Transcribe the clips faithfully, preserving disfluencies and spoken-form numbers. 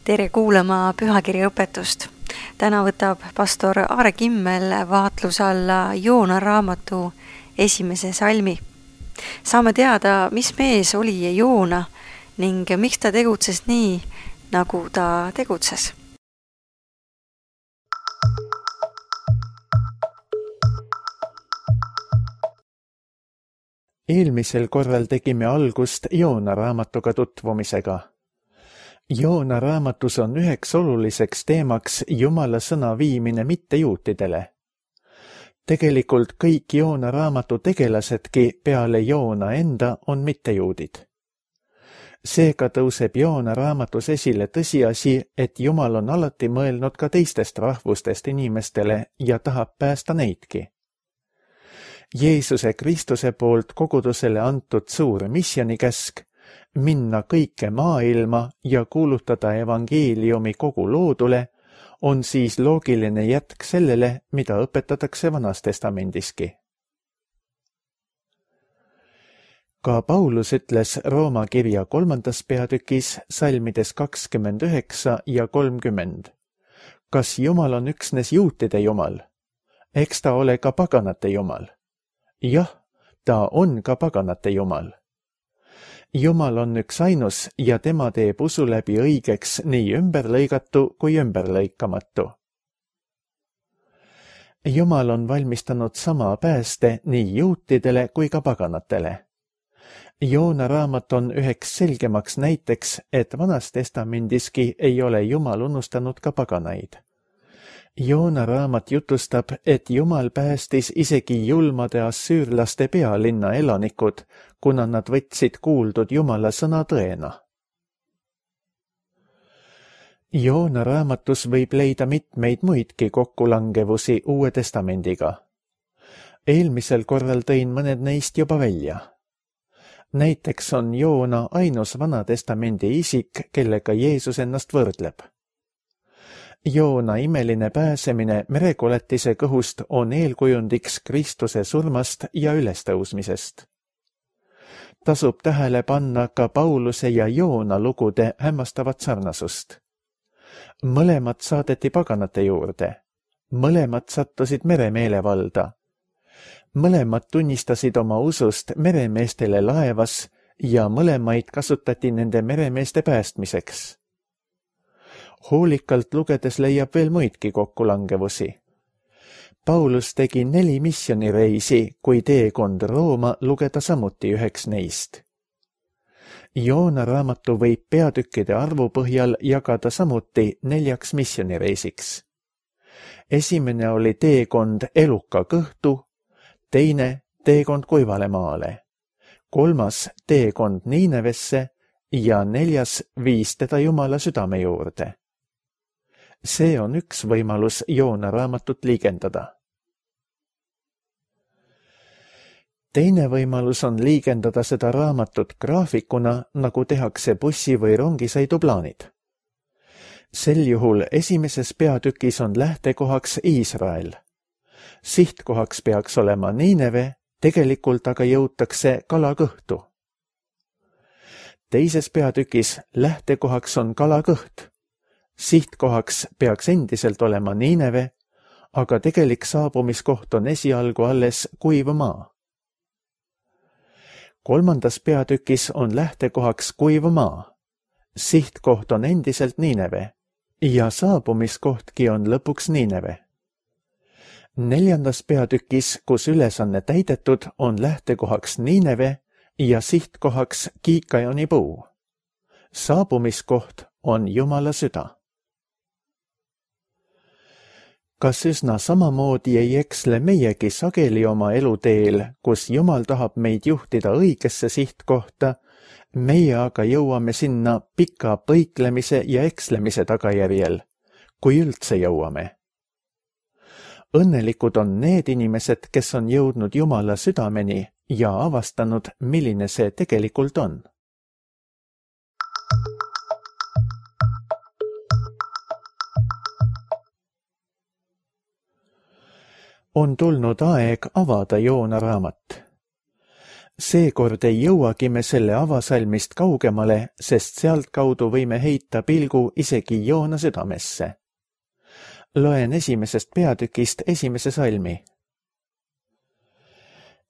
Tere kuulama pühakirja õpetust. Täna võtab pastor Aare Kimmel vaatluse alla Joona raamatu esimese salmi. Saame teada, mis mees oli Joona ning miks ta tegutses nii, nagu ta tegutses. Eelmisel korral tegime algust Joona raamatuga tutvumisega. Joona raamatus on üheks oluliseks teemaks Jumala sõna viimine mittejuutidele. Tegelikult kõik Joona raamatu tegelasedki peale Joona enda on mittejuudid. Seega tõuseb Joona raamatus esile tõsiasi, et Jumal on alati mõelnud ka teistest rahvustest inimestele ja tahab päästa neidki. Jeesuse Kristuse poolt kogudusele antud suur missionikäsk minna kõike maailma ja kuulutada evangeeliumi kogu loodule on siis loogiline jätk sellele, mida õpetatakse Vanas Testamendiski. Ka Paulus ütles Rooma kirja kolmandas peatükis salmides kakskümmend üheksa ja kolmkümmend. Kas Jumal on üksnes juutide Jumal? Eks ta ole ka paganate Jumal. Jah, ta on ka paganate Jumal. Jumal on üks ainus ja tema teeb usu läbi õigeks nii ümberlõigatu kui ümberlõikamatu. Jumal on valmistanud sama pääste nii juutidele kui ka paganatele. Joona raamat on üheks selgemaks näiteks, et Vanas Testamendiski ei ole Jumal unustanud ka paganaid. Joona raamat jutustab, et Jumal päästis isegi julmade assüürlaste pealinna elanikud, kuna nad võtsid kuuldud Jumala sõna tõena. Joona raamatus võib leida mitmeid muidki kokkulangevusi Uue Testamendiga. Eelmisel korral tõin mõned neist juba välja. Näiteks on Joona ainus Vana Testamendi isik, kellega Jeesus ennast võrdleb. Joona imeline pääsemine merekoletise kõhust on eelkujundiks Kristuse surmast ja ülestõusmisest. Tasub tähele panna ka Pauluse ja Joona lugude hämmastavat sarnasust. Mõlemad saadeti paganate juurde. Mõlemad sattusid meremeelevalda. Mõlemad tunnistasid oma usust meremeestele laevas ja mõlemaid kasutati nende meremeeste päästmiseks. Hoolikalt lugedes leiab veel muidki kokkulangevusi. Paulus tegi neli missionireisi, kui teekond Rooma lugeda samuti üheks neist. Joona raamatu võib peatükkide arvu põhjal jagada samuti neljaks missionireisiks. Esimene oli teekond Eluka kõhtu, teine teekond Kuivale maale, kolmas teekond Niinevesse ja neljas viis teda Jumala südame juurde. See on üks võimalus Joona raamatut liigendada. Teine võimalus on liigendada seda raamatut graafikuna, nagu tehakse bussi- või rongisõiduplaanid. Sel juhul esimeses peatükis on lähtekohaks Iisrael. Sihtkohaks peaks olema Niineve, tegelikult aga jõutakse Kalakõhtu. Teises peatükis lähtekohaks on Kalakõht. Sihtkohaks peaks endiselt olema Niineve, aga tegelik saabumiskoht on esialgu alles kuiv maa. Kolmandas peatükis on lähtekohaks kuiv maa. Sihtkoht on endiselt Niineve ja saabumiskohtki on lõpuks Niineve. Neljandas peatükis, kus ülesanne täidetud, on lähtekohaks Niineve ja sihtkohaks Kiikajoni puu. Saabumiskoht on Jumala süda. Kas üsna samamoodi ei eksle meiegi sageli oma eluteel, kus Jumal tahab meid juhtida õigesse sihtkohta, meie aga jõuame sinna pika põiklemise ja ekslemise tagajärjel, kui üldse jõuame. Õnnelikud on need inimesed, kes on jõudnud Jumala südameni ja avastanud, milline see tegelikult on. On tulnud aeg avada Joona raamat. Seekord ei jõuagi me selle avasalmist kaugemale, sest sealtkaudu võime heita pilgu isegi Joona südamesse. Loen esimesest peatükist esimese salmi.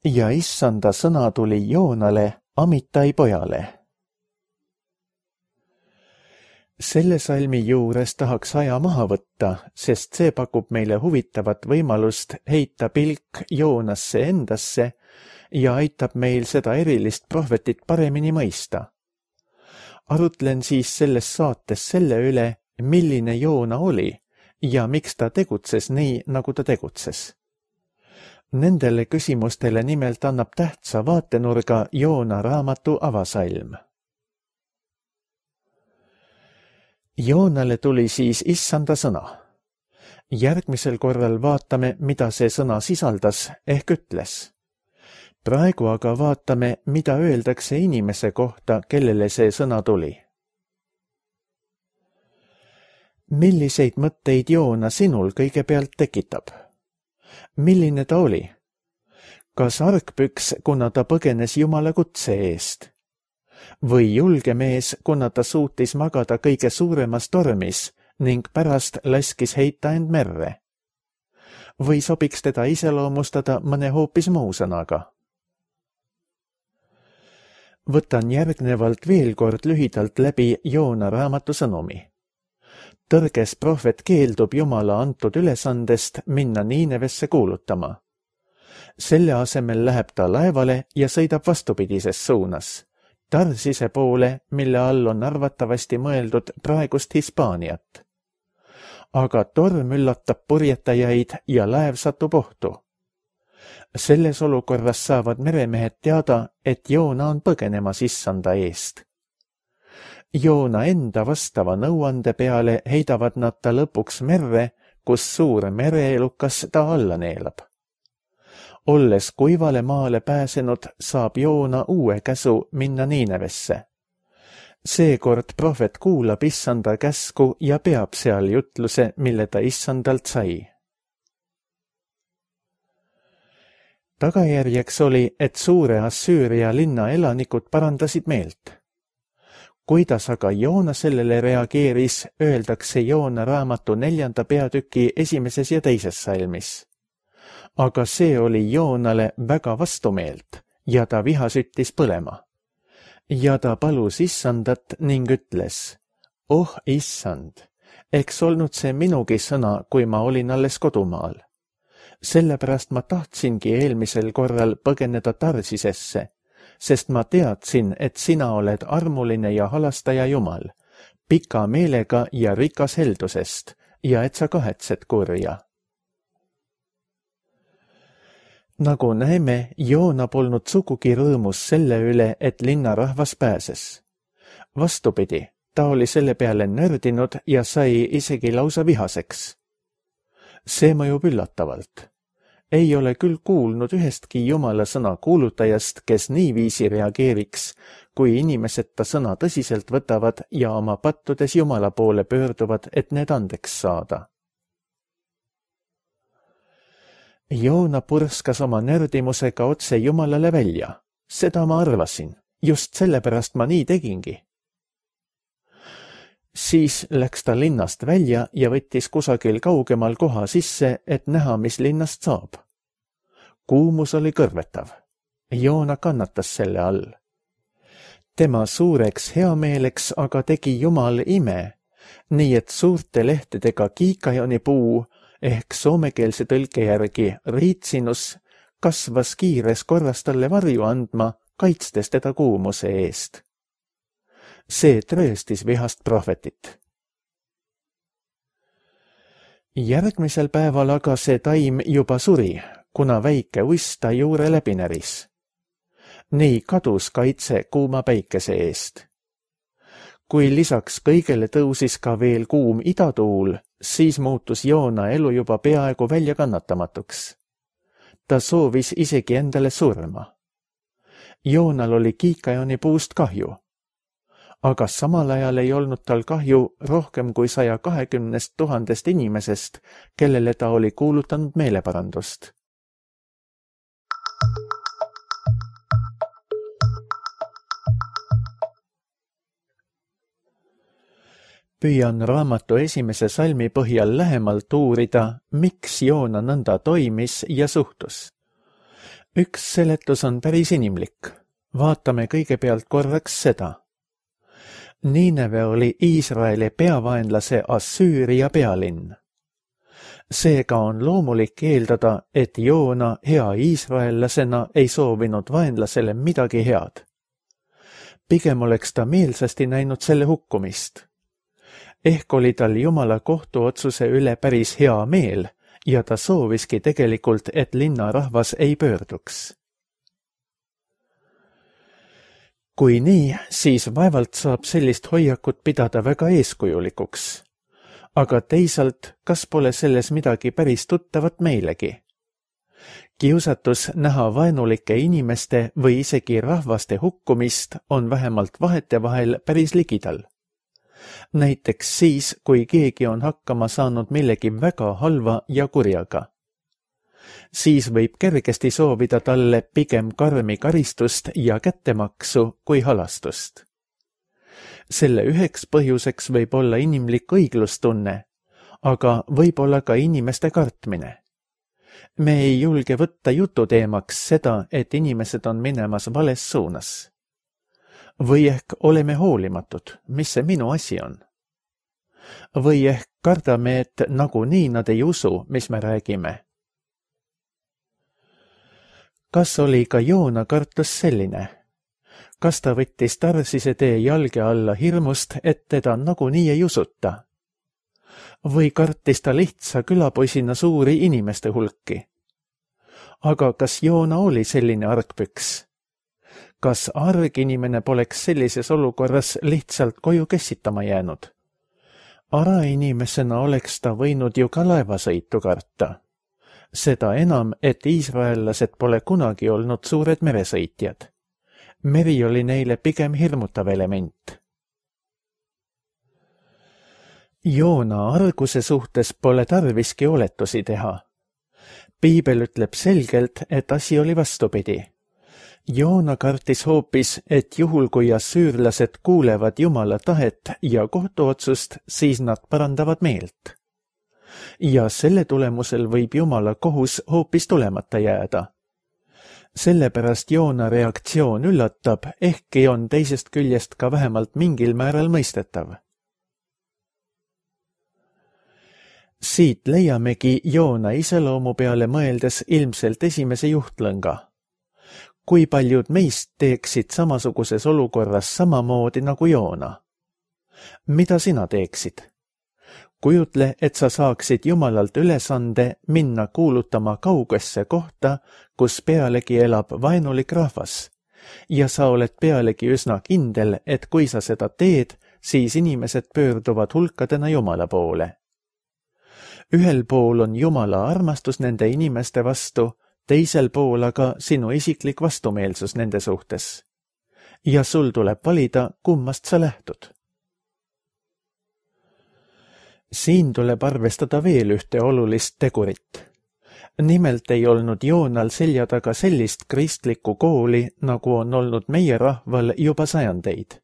Ja issanda sõna tuli Joonale, Amitai pojale. Selle salmi juures tahaks aja maha võtta, sest see pakub meile huvitavat võimalust heita pilk Joonasse endasse ja aitab meil seda erilist prohvetit paremini mõista. Arutlen siis selles saates selle üle, milline Joona oli ja miks ta tegutses nii, nagu ta tegutses. Nendele küsimustele nimelt annab tähtsa vaatenurga Joona raamatu avasalm. Joonale tuli siis issanda sõna. Järgmisel korral vaatame, mida see sõna sisaldas ehk ütles. Praegu aga vaatame, mida öeldakse inimese kohta, kellele see sõna tuli. Milliseid mõtteid Joona sinul kõigepealt tekitab? Milline ta oli? Kas argpüks, kuna ta põgenes Jumala kutse eest? Või julge mees, kuna ta suutis magada kõige suuremas tormis ning pärast laskis heita end merre? Või sobiks teda iseloomustada mõne hoopis muu sõnaga? Võtan järgnevalt veel kord lühidalt läbi Joona raamatu sõnumi. Tõrges prohvet keeldub Jumala antud ülesandest minna Niinevesse kuulutama. Selle asemel läheb ta laevale ja sõidab vastupidises suunas, Tarsise poole, mille all on arvatavasti mõeldud praegust Hispaaniat. Aga torm üllatab purjetajaid ja laev satub ohtu. Selles olukorras saavad meremehed teada, et Joona on põgenemas issanda eest. Joona enda vastava nõuande peale heidavad nad ta lõpuks merre, kus suur mereelukas ta alla neelab. Olles kuivale maale pääsenud, saab Joona uue käsu minna Niinevesse. Seekord prohvet kuulab issanda käsku ja peab seal jutluse, mille ta issandalt sai. Tagajärjeks oli, et suure Assüüria linna elanikud parandasid meelt. Kuidas aga Joona sellele reageeris, öeldakse Joona raamatu neljanda peatüki esimeses ja teises salmis. Aga see oli Joonale väga vastumeelt ja ta viha süttis põlema. Ja ta palus issandat ning ütles, oh issand, eks olnud see minugi sõna, kui ma olin alles kodumaal. Sellepärast ma tahtsingi eelmisel korral põgeneda Tarsisesse, sest ma teadsin, et sina oled armuline ja halastaja Jumal, pika meelega ja rikas heldusest ja et sa kahetsed kurja. Nagu näeme, Joona polnud sugugi rõõmus selle üle, et linnarahvas pääses. Vastupidi, ta oli selle peale nördinud ja sai isegi lausa vihaseks. See mõjub üllatavalt. Ei ole küll kuulnud ühestki Jumala sõna kuulutajast, kes niiviisi reageeriks, kui inimesed ta sõna tõsiselt võtavad ja oma pattudes Jumala poole pöörduvad, et need andeks saada. Joona purskas oma nördimusega otse Jumalale välja. Seda ma arvasin. Just sellepärast ma nii tegingi. Siis läks ta linnast välja ja võttis kusagil kaugemal koha sisse, et näha, mis linnast saab. Kuumus oli kõrvetav. Joona kannatas selle all. Tema suureks heameeleks aga tegi Jumal ime, nii et suurte lehtedega kiikajoni puu ehk soomekeelse tõlke järgi riitsinus kasvas kiires korras talle varju andma, kaitstes teda kuumuse eest. See trööstis vihast prohvetit. Järgmisel päeval aga see taim juba suri, kuna väike uss ta juure läbi näris. Nii kadus kaitse kuuma päikese eest. Kui lisaks kõigele tõusis ka veel kuum idatuul, siis muutus Joona elu juba peaaegu välja kannatamatuks. Ta soovis isegi endale surma. Joonal oli kiikajoni puust kahju. Aga samal ajal ei olnud tal kahju rohkem kui saja kahekümnest tuhandest inimesest, kellele ta oli kuulutanud meeleparandust. Püüan raamatu esimese salmi põhjal lähemalt uurida, miks Joona nõnda toimis ja suhtus. Üks seletus on päris inimlik. Vaatame kõigepealt korraks seda. Niineve oli Iisraeli peavaenlase Assüüria pealinn. Seega on loomulik eeldada, et Joona hea iisraellasena ei soovinud vaenlasele midagi head. Pigem oleks ta meelsasti näinud selle hukkumist. Ehk oli tal Jumala kohtuotsuse üle päris hea meel ja ta sooviski tegelikult, et linnarahvas ei pöörduks. Kui nii, siis vaevalt saab sellist hoiakut pidada väga eeskujulikuks. Aga teisalt, kas pole selles midagi päris tuttavat meilegi? Kiusatus näha vaenulike inimeste või isegi rahvaste hukkumist on vähemalt vahetevahel päris ligidal. Näiteks siis, kui keegi on hakkama saanud millegi väga halva ja kurjaga. Siis võib kergesti soovida talle pigem karmi karistust ja kättemaksu kui halastust. Selle üheks põhjuseks võib olla inimlik õiglustunne, aga võib olla ka inimeste kartmine. Me ei julge võtta jututeemaks seda, et inimesed on minemas vales suunas. Või ehk oleme hoolimatud, mis see minu asi on. Või ehk kardame, et nagunii nad ei usu, mis me räägime. Kas oli ka Joona kartus selline? Kas ta võttis Tarsise tee jalge alla hirmust, et teda nagunii ei usuta? Või kartis ta lihtsa külapoisina suuri inimeste hulki? Aga kas Joona oli selline argpüks? Kas arginimene poleks sellises olukorras lihtsalt koju kessitama jäänud? Arainimesena oleks ta võinud ju ka laevasõitu karta. Seda enam, et iisraellased pole kunagi olnud suured meresõitjad. Meri oli neile pigem hirmutav element. Joona arguse suhtes pole tarviski oletusi teha. Piibel ütleb selgelt, et asi oli vastupidi. Joona kartis hoopis, et juhul kui assüürlased kuulevad Jumala tahet ja kohtuotsust, siis nad parandavad meelt. Ja selle tulemusel võib Jumala kohus hoopis tulemata jääda. Sellepärast Joona reaktsioon üllatab, ehkki on teisest küljest ka vähemalt mingil määral mõistetav. Siit leiamegi Joona iseloomu peale mõeldes ilmselt esimese juhtlõnga. Kui paljud meist teeksid samasuguses olukorras samamoodi nagu Joona? Mida sina teeksid? Kujutle, et sa saaksid Jumalalt ülesande minna kuulutama kaugesse kohta, kus pealegi elab vaenulik rahvas. Ja sa oled pealegi üsna kindel, et kui sa seda teed, siis inimesed pöörduvad hulkadena Jumala poole. Ühel pool on Jumala armastus nende inimeste vastu, teisel pool aga sinu isiklik vastumeelsus nende suhtes. Ja sul tuleb valida, kummast sa lähtud. Siin tuleb arvestada veel ühte olulist tegurit. Nimelt ei olnud Joonal selja taga sellist kristlikku kooli, nagu on olnud meie rahval juba sajandeid.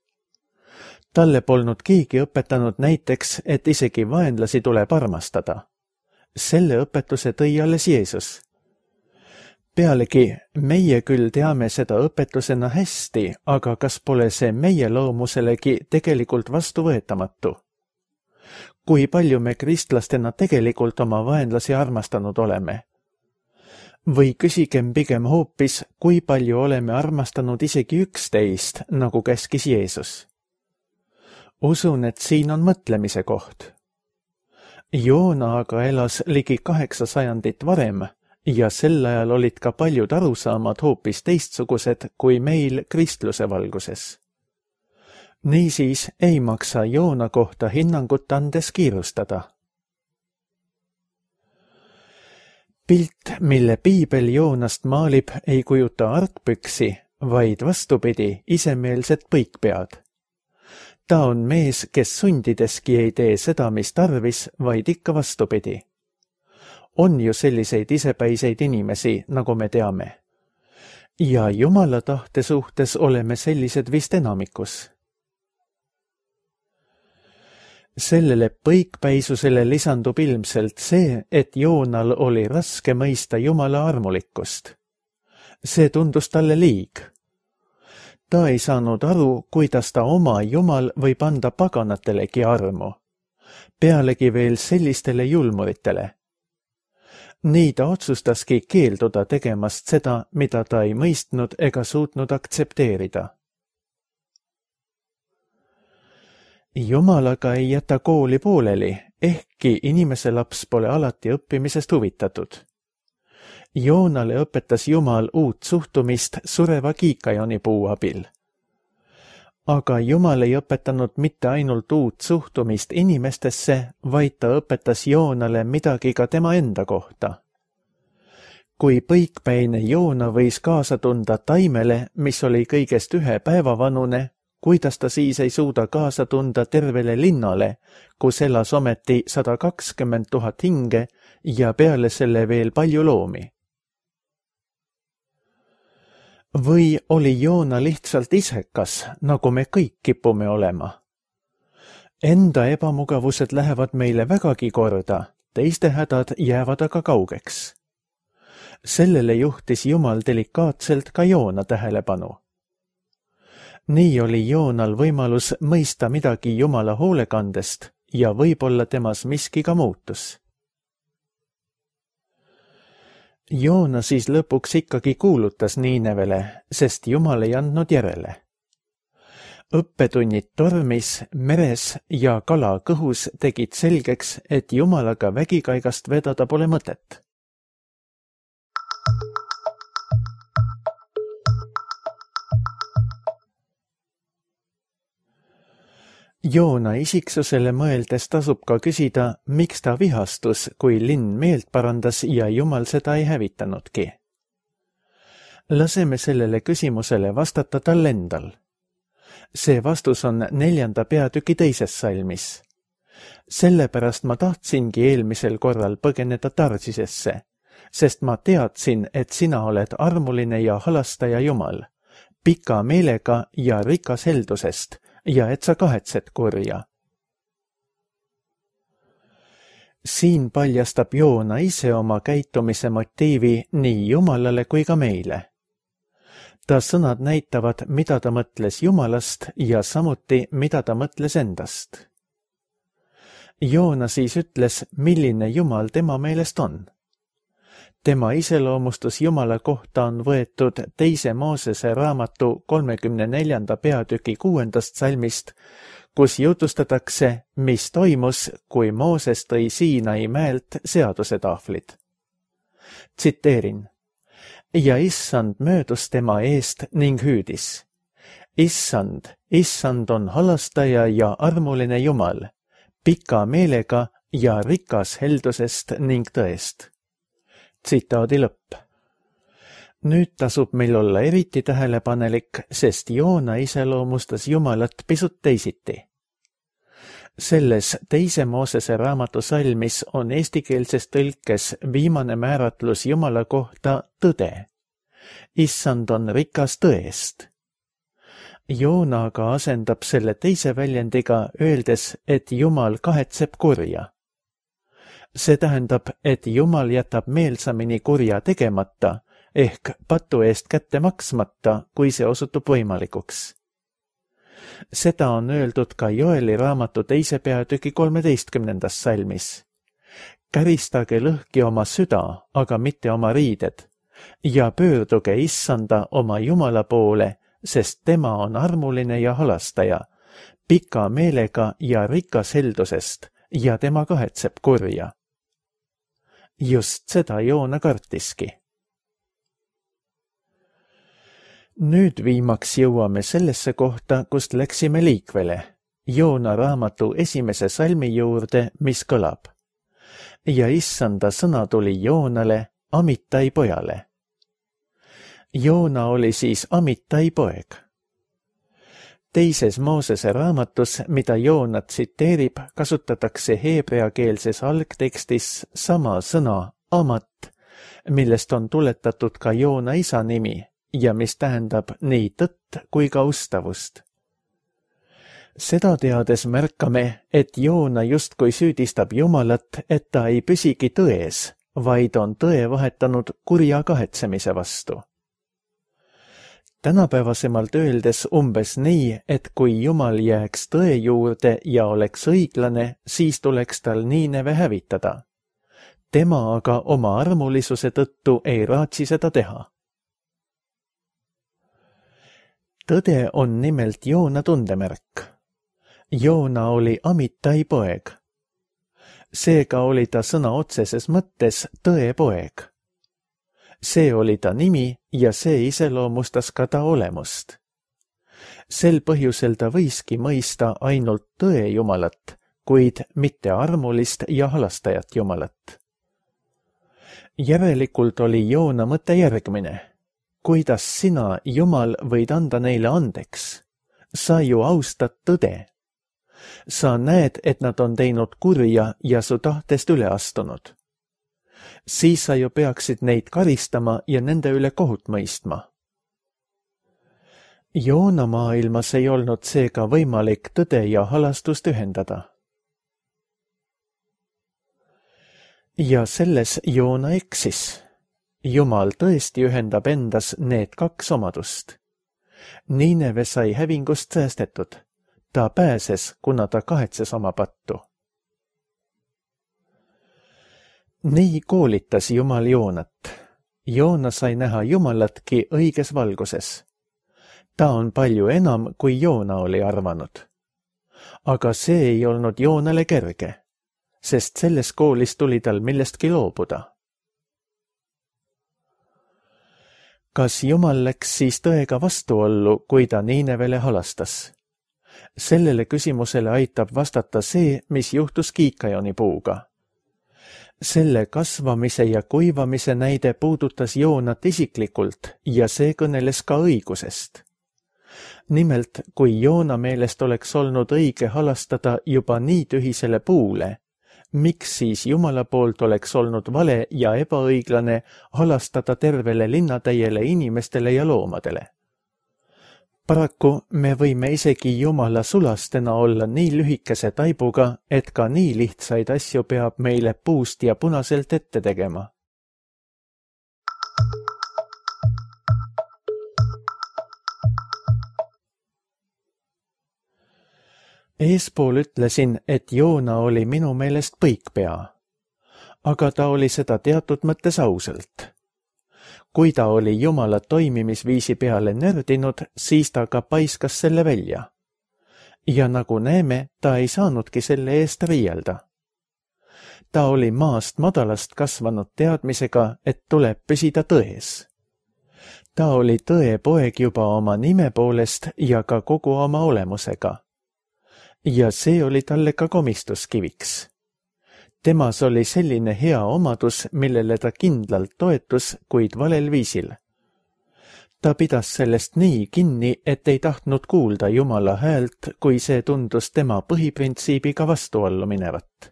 Talle polnud keegi õpetanud näiteks, et isegi vaenlasi tuleb armastada. Selle õpetuse tõi alles Jeesus. Pealegi, meie küll teame seda õpetusena hästi, aga kas pole see meie loomuselegi tegelikult vastuvõetamatu? Kui palju me kristlastena tegelikult oma vaenlasi armastanud oleme? Või küsigem pigem hoopis, kui palju oleme armastanud isegi üksteist, nagu käskis Jeesus? Usun, et siin on mõtlemise koht. Joona aga elas ligi kaheksa sajandit varem ja sel ajal olid ka paljud arusaamad hoopis teistsugused kui meil kristluse valguses. Niisiis ei maksa Joona kohta hinnangut andes kiirustada. Pilt, mille Piibel Joonast maalib, ei kujuta argpüksi, vaid vastupidi, isemeelset põikpead. Ta on mees, kes sundideski ei tee seda, mis tarvis, vaid ikka vastupidi. On ju selliseid isepäiseid inimesi, nagu me teame. Ja Jumala tahte suhtes oleme sellised vist enamikus. Sellele põikpäisusele lisandub ilmselt see, et Joonal oli raske mõista Jumala armulikkust. See tundus talle liig. Ta ei saanud aru, kuidas ta oma Jumal võib anda paganatelegi armu, pealegi veel sellistele julmuritele. Nii ta otsustaski keelduda tegemast seda, mida ta ei mõistnud ega suutnud aktsepteerida. Jumalaga ei jäta kooli pooleli, ehkki inimese laps pole alati õppimisest huvitatud. Joonale õpetas Jumal uut suhtumist sureva kiikajoni puu abil. Aga Jumal ei õpetanud mitte ainult uut suhtumist inimestesse, vaid ta õpetas Joonale midagi ka tema enda kohta. Kui põikpäine Joona võis kaasa tunda taimele, mis oli kõigest ühe päeva vanune, kuidas ta siis ei suuda kaasa tunda tervele linnale, kus elas ometi sada kakskümmend tuhat hinge ja peale selle veel palju loomi. Või oli Joona lihtsalt isekas, nagu me kõik kipume olema? Enda ebamugavused lähevad meile vägagi korda, teiste hädad jäävad aga kaugeks. Sellele juhtis Jumal delikaatselt ka Joona tähelepanu. Nii oli Joonal võimalus mõista midagi Jumala hoolekandest ja võib-olla temas miski ka muutus. Joona siis lõpuks ikkagi kuulutas Niinevele, sest Jumal ei andnud järele. Õppetunnid tormis, meres ja kala kõhus tegid selgeks, et Jumalaga vägikaigast vedada pole mõtet. Joona isiksusele mõeldes tasub ka küsida, miks ta vihastus, kui linn meelt parandas ja Jumal seda ei hävitanudki. Laseme sellele küsimusele vastata tal endal. See vastus on neljanda peatüki teises salmis. Sellepärast ma tahtsingi eelmisel korral põgeneda Tarsisesse, sest ma teadsin, et sina oled armuline ja halastaja Jumal, pika meelega ja rikas heldusest, ja et sa kahetsed kurja. Siin paljastab Joona ise oma käitumise motiivi nii Jumalale kui ka meile. Ta sõnad näitavad, mida ta mõtles Jumalast ja samuti, mida ta mõtles endast. Joona siis ütles, milline Jumal tema meelest on. Tema iseloomustus Jumala kohta on võetud teise Moosese raamatu kolmekümne neljanda peatüki kuuendast salmist, kus jutustatakse, mis toimus, kui Mooses tõi Siinai mäelt seadusetahvlid. Tsiteerin. Ja issand möödus tema eest ning hüüdis. Issand, issand on halastaja ja armuline Jumal, pika meelega ja rikas heldusest ning tõest. Tsitaadi lõpp. Nüüd tasub meil olla eriti tähelepanelik, sest Joona iseloomustas Jumalat pisut teisiti. Selles teise Moosese raamatu salmis on eestikeelses tõlkes viimane määratlus Jumala kohta tõde. Issand on rikas tõest. Joona aga asendab selle teise väljendiga, öeldes, et Jumal kahetseb kurja. See tähendab, et Jumal jätab meelsamini kurja tegemata, ehk patu eest kätte maksmata, kui see osutub võimalikuks. Seda on öeldud ka Joeli raamatu teise peatüki kolmeteistkümnendas salmis. Käristage lõhki oma süda, aga mitte oma riided, ja pöörduge issanda oma Jumala poole, sest tema on armuline ja halastaja, pika meelega ja rikas heldusest, ja tema kahetseb kurja. Just seda Joona kartiski. Nüüd viimaks jõuame sellesse kohta, kust läksime liikvele, Joona raamatu esimese salmi juurde, mis kõlab. Ja issanda sõna tuli Joonale, Amittai pojale. Joona oli siis Amittai poeg. Teises Moosese raamatus, mida Joona tsiteerib, kasutatakse heebreakeelses algtekstis sama sõna amat, millest on tuletatud ka Joona isa nimi ja mis tähendab nii tõtt kui ka ustavust. Seda teades märkame, et Joona justkui süüdistab Jumalat, et ta ei püsigi tões, vaid on tõe vahetanud kurja kahetsemise vastu. Tänapäevasemalt öeldes umbes nii, et kui Jumal jääks tõe juurde ja oleks õiglane, siis tuleks tal Niineve hävitada. Tema aga oma armulisuse tõttu ei raatsi seda teha. Tõde on nimelt Joona tundemärk. Joona oli Amittai poeg. Seega oli ta sõna otseses mõttes tõe poeg. See oli ta nimi ja see iseloomustas ka ta olemust. Sel põhjusel ta võiski mõista ainult tõe Jumalat, kuid mitte armulist ja halastajat Jumalat. Järelikult oli Joona mõte järgmine. Kuidas sina, Jumal, võid anda neile andeks? Sa ju austad tõde. Sa näed, et nad on teinud kurja ja su tahtest üle astunud. Siis sa ju peaksid neid karistama ja nende üle kohut mõistma. Joona maailmas ei olnud seega võimalik tõde ja halastust ühendada. Ja selles Joona eksis. Jumal tõesti ühendab endas need kaks omadust. Niineve sai hävingust säästetud. Ta pääses, kuna ta kahetses oma pattu. Nii koolitas Jumal Joonat. Joona sai näha Jumalatki õiges valguses. Ta on palju enam, kui Joona oli arvanud. Aga see ei olnud Joonale kerge, sest selles koolis tuli tal millestki loobuda. Kas Jumal läks siis tõega vastuollu, kui ta Niinevele halastas? Sellele küsimusele aitab vastata see, mis juhtus kiikajoni puuga. Selle kasvamise ja kuivamise näide puudutas Joonat isiklikult ja see kõneles ka õigusest. Nimelt, kui Joona meelest oleks olnud õige halastada juba nii tühisele puule, miks siis Jumala poolt oleks olnud vale ja ebaõiglane halastada tervele linnatäiele inimestele ja loomadele? Paraku me võime isegi Jumala sulastena olla nii lühikese taibuga, et ka nii lihtsaid asju peab meile puust ja punaselt ette tegema. Eespool ütlesin, et Joona oli minu meelest põikpea, aga ta oli seda teatud mõttes ausalt. Kui ta oli Jumala toimimisviisi peale nördinud, siis ta ka paiskas selle välja. Ja nagu näeme, ta ei saanudki selle eest riielda. Ta oli maast madalast kasvanud teadmisega, et tuleb püsida tões. Ta oli tõe poeg juba oma nime poolest ja ka kogu oma olemusega. Ja see oli talle ka komistuskiviks. Temas oli selline hea omadus, millele ta kindlalt toetus, kuid valel viisil. Ta pidas sellest nii kinni, et ei tahtnud kuulda Jumala häält, kui see tundus tema põhiprintsiibiga vastuollu minevat.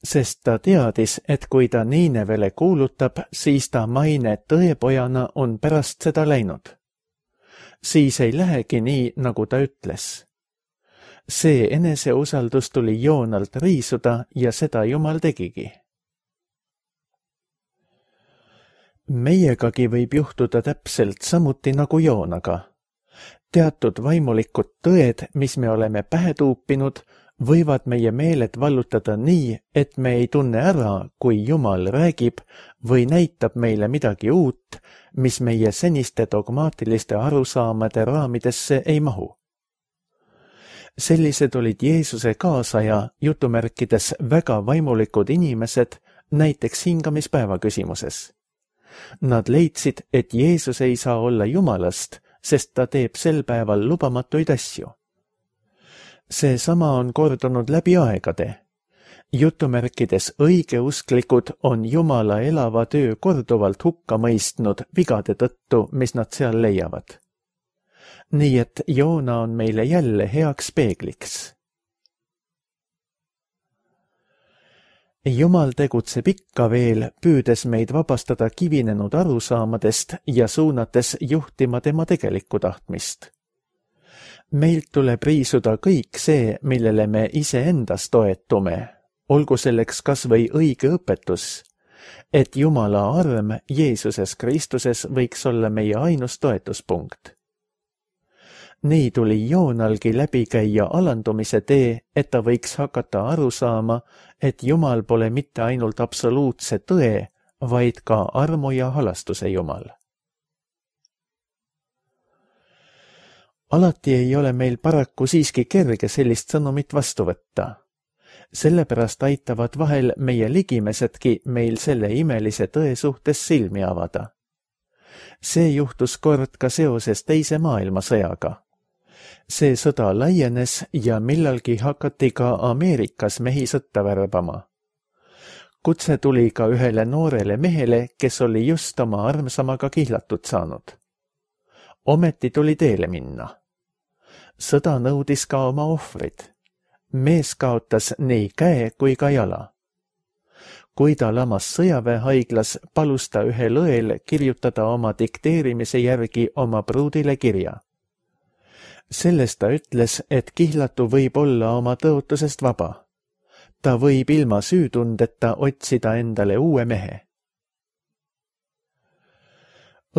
Sest ta teadis, et kui ta Niinevele kuulutab, siis ta maine tõepojana on pärast seda läinud. Siis ei lähegi nii, nagu ta ütles. See eneseusaldus tuli Joonalt riisuda ja seda Jumal tegigi. Meiegagi võib juhtuda täpselt samuti nagu Joonaga. Teatud vaimulikud tõed, mis me oleme pähe tuupinud, võivad meie meeled vallutada nii, et me ei tunne ära, kui Jumal räägib või näitab meile midagi uut, mis meie seniste dogmaatiliste arusaamade raamidesse ei mahu. Sellised olid Jeesuse kaasaja jutumärkides väga vaimulikud inimesed, näiteks hingamispäeva küsimuses. Nad leidsid, et Jeesus ei saa olla Jumalast, sest ta teeb sel päeval lubamatuid asju. Seesama on kordunud läbi aegade. Jutumärkides õigeusklikud on Jumala elava töö korduvalt hukka mõistnud vigade tõttu, mis nad seal leiavad. Nii et Joona on meile jälle heaks peegliks. Jumal tegutseb ikka veel, püüdes meid vabastada kivinenud arusaamadest ja suunates juhtima tema tegelikku tahtmist. Meilt tuleb riisuda kõik see, millele me iseendas toetume, olgu selleks kas või õige õpetus, et Jumala arm Jeesuses Kristuses võiks olla meie ainus toetuspunkt. Nii tuli Joonalgi läbi käia alandumise tee, et ta võiks hakata aru saama, et Jumal pole mitte ainult absoluutse tõe, vaid ka armu ja halastuse Jumal. Alati ei ole meil paraku siiski kerge sellist sõnumit vastu võtta. Sellepärast aitavad vahel meie ligimesedki meil selle imelise tõe suhtes silmi avada. See juhtus kord ka seoses teise maailmasõjaga. See sõda laienes ja millalgi hakati ka Ameerikas mehi sõtta värbama. Kutse tuli ka ühele noorele mehele, kes oli just oma armsamaga kihlatud saanud. Ometi tuli teele minna. Sõda nõudis ka oma ohvrid. Mees kaotas nii käe kui ka jala. Kui ta lamas sõjaväehaiglas, palus ta ühel õel kirjutada oma dikteerimise järgi oma pruudile kirja. Sellest ta ütles, et kihlatu võib olla oma tõotusest vaba. Ta võib ilma süütundeta otsida endale uue mehe.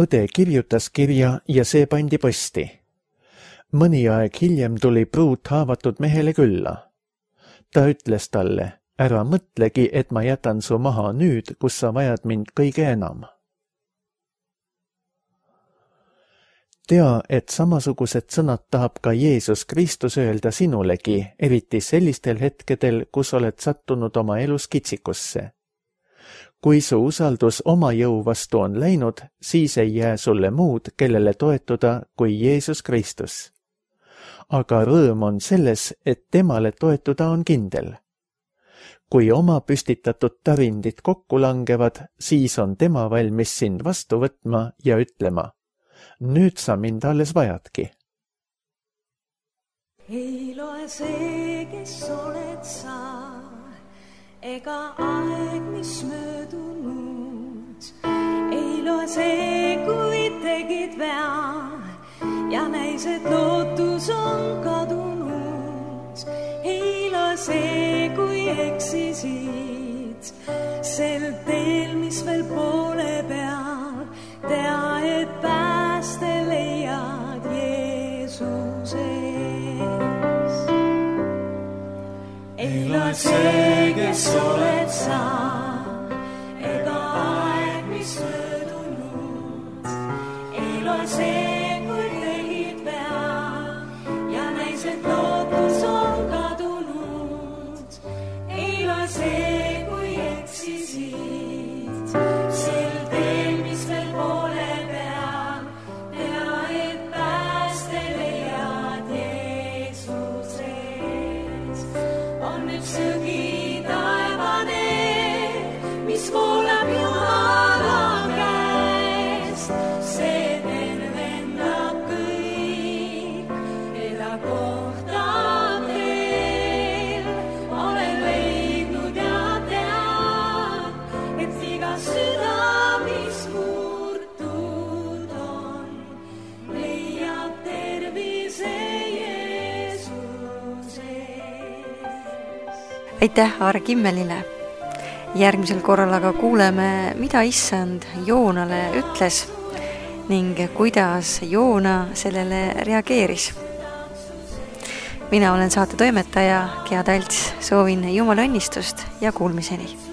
Õde kirjutas kirja ja see pandi posti. Mõni aeg hiljem tuli pruut haavatud mehele külla. Ta ütles talle, ära mõtlegi, et ma jätan su maha nüüd, kus sa vajad mind kõige enam. Tea, et samasugused sõnad tahab ka Jeesus Kristus öelda sinulegi, eriti sellistel hetkedel, kus oled sattunud oma elus kitsikusse. Kui su usaldus oma jõu vastu on läinud, siis ei jää sulle muud, kellele toetuda kui Jeesus Kristus. Aga rõõm on selles, et temale toetuda on kindel. Kui oma püstitatud tarindid kokku langevad, siis on tema valmis sind vastu võtma ja ütlema, nüüd sa mind alles vajadki. Ei loe see, kes oled sa, ega aeg, mis möödunud. Ei loe see, kui tegid vea ja näis, et lootus on kadunud. Ei loe see, kui eksisid sel teel, mis veel poole peal. Tea, et pääste leiad Jeesuses. Ei loe see, kes oled sa, ega aeg, mis möödunud. Ei loe see, aitäh Aare Kimmelile. Järgmisel korral aga kuuleme, mida issand Joonale ütles ning kuidas Joona sellele reageeris. Mina olen saate toimetaja Gea Talts, soovin Jumala õnnistust ja kuulmiseni.